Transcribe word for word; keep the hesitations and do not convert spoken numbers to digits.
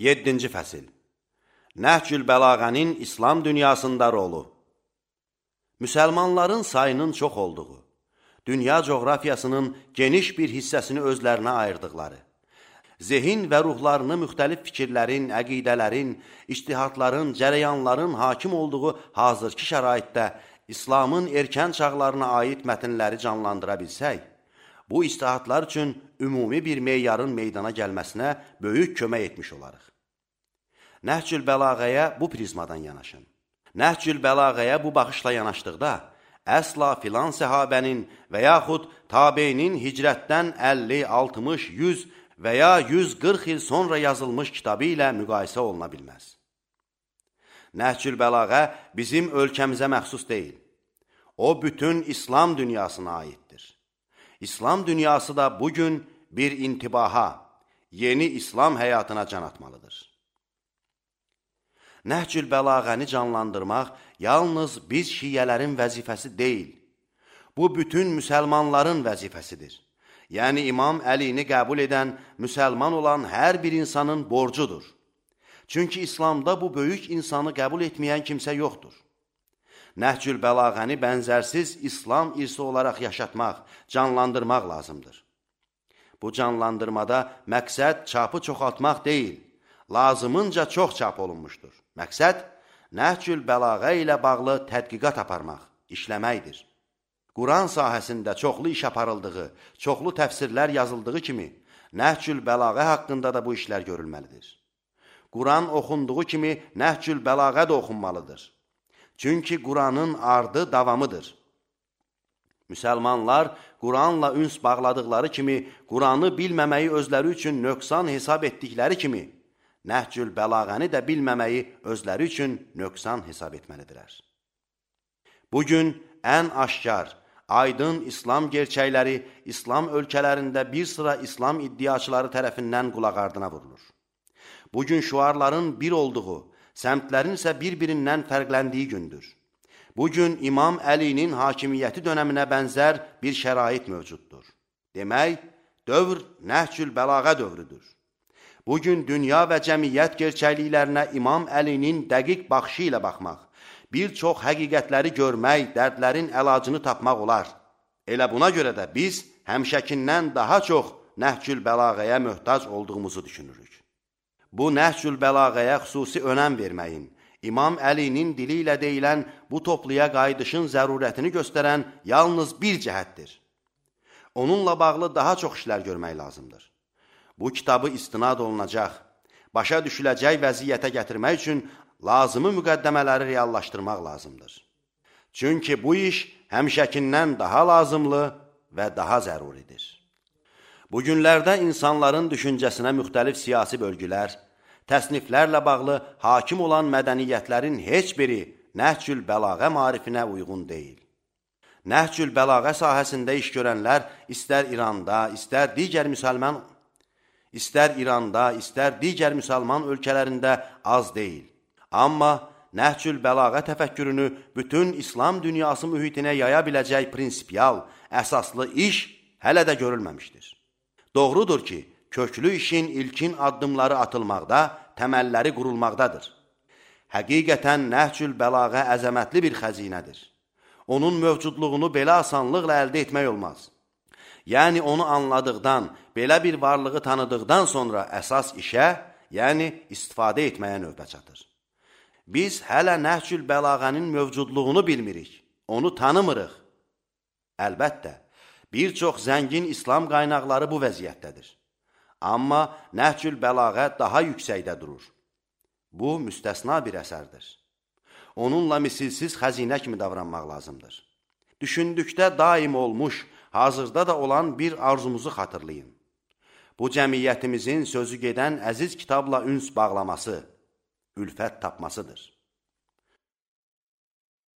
yeddinci fəsil. Nəhcül Bəlağənin İslam dünyasında rolu. Müsəlmanların sayının çox olduğu, dünya coğrafiyasının geniş bir hissəsini özlərinə ayırdıqları, zehin və ruhlarını müxtəlif fikirlərin, əqidələrin, ictihadların, cərəyanların hakim olduğu hazırki şəraitdə İslamın erkən çağlarına aid mətnləri canlandıra bilsək, bu ictihadlar üçün ümumi bir meyarın meydana gəlməsinə böyük kömək etmiş olarıq. Nəhcül Bəlağəyə bu prizmadan yanaşın. Nəhcül Bəlağəyə bu baxışla yanaşdıqda, əsla filan səhabənin və yaxud tabeinin hicrətdən əlli, altmış, yüz və ya yüz qırx il sonra yazılmış kitabı ilə müqayisə oluna bilməz. Nəhcül Bəlağə bizim ölkəmizə məxsus deyil. O, bütün İslam dünyasına aiddir. İslam dünyası da bugün bir intibaha, yeni İslam həyatına can atmalıdır. Nəhcül Bəlağəni canlandırmaq yalnız biz şiyyələrin vəzifəsi deyil, bu bütün müsəlmanların vəzifəsidir. Yəni İmam Əlini qəbul edən, müsəlman olan hər bir insanın borcudur. Çünki İslamda bu böyük insanı qəbul etməyən kimsə yoxdur. Nəhcül Bəlağəni bənzərsiz İslam irsi olaraq yaşatmaq, canlandırmaq lazımdır. Bu canlandırmada məqsəd çapı çoxaltmaq deyil, lazımınca çox çap olunmuşdur. Məqsəd, Nəhcül Bəlağə ilə bağlı tədqiqat aparmaq, işləməkdir. Quran sahəsində çoxlu iş aparıldığı, çoxlu təfsirlər yazıldığı kimi, Nəhcül Bəlağə haqqında da bu işlər görülməlidir. Quran oxunduğu kimi Nəhcül Bəlağə də oxunmalıdır. Çünki Quranın ardı davamıdır. Müsəlmanlar Quranla üns bağladıqları kimi, Quranı bilməməyi özləri üçün nöqsan hesab etdikləri kimi, Nəhcül Bəlağəni də bilməməyi özləri üçün nöqsan hesab etməlidirlər. Bugün ən aşkar, aydın İslam gerçəkləri İslam ölkələrində bir sıra İslam iddiaçıları tərəfindən qulaq ardına vurulur. Bugün şüarların bir olduğu, səmtlərin isə bir-birindən fərqləndiyi gündür. Bugün İmam Əlinin hakimiyyəti dönəminə bənzər bir şərait mövcuddur. Demək, dövr Nəhcül Bəlağə dövrüdür. Bugün dünya və cəmiyyət gerçəkliklərinə İmam Əlinin dəqiq baxışı ilə baxmaq, bir çox həqiqətləri görmək, dərdlərin əlacını tapmaq olar. Elə buna görə də biz həmişəkindən daha çox Nəhcül Bəlağəyə möhtac olduğumuzu düşünürük. Bu Nəhcül Bəlağəyə xüsusi önəm verməyin, İmam Əlinin dili ilə deyilən bu topluya qayıdışın zərurətini göstərən yalnız bir cəhətdir. Onunla bağlı daha çox işlər görmək lazımdır. Bu kitabı istinad olunacaq, başa düşüləcək vəziyyətə gətirmək üçün lazımı müqəddəmələri reallaşdırmaq lazımdır. Çünki bu iş həmişəkindən daha lazımlı və daha zəruridir. Bugünlərdə insanların düşüncəsinə müxtəlif siyasi bölgülər, təsniflərlə bağlı hakim olan mədəniyyətlərin heç biri Nəhcül Bəlağə marifinə uyğun deyil. Nəhcül Bəlağə sahəsində iş görənlər istər İranda, istər digər müsəlman İstər İranda, istər digər müsəlman ölkələrində az deyil. Amma Nəhcül Bəlağə təfəkkürünü bütün İslam dünyası mühitinə yaya biləcək prinsipial, əsaslı iş hələ də görülməmişdir. Doğrudur ki, köklü işin ilkin addımları atılmaqda, təməlləri qurulmaqdadır. Həqiqətən Nəhcül Bəlağə əzəmətli bir xəzinədir. Onun mövcudluğunu belə asanlıqla əldə etmək olmaz. Yəni onu anladıqdan, belə bir varlığı tanıdıqdan sonra əsas işə, yəni istifadə etməyə növbə çatır. Biz hələ Nəhcül Bəlağənin mövcudluğunu bilmirik, onu tanımırıq. Əlbəttə, bir çox zəngin İslam qaynaqları bu vəziyyətdədir. Amma Nəhcül Bəlağə daha yüksəkdə durur. Bu, müstəsna bir əsərdir. Onunla misilsiz xəzinə kimi davranmaq lazımdır. Düşündükdə daim olmuş, hazırda da olan bir arzumuzu xatırlayın. Bu cəmiyyətimizin sözü gedən əziz kitabla üns bağlaması, ülfət tapmasıdır.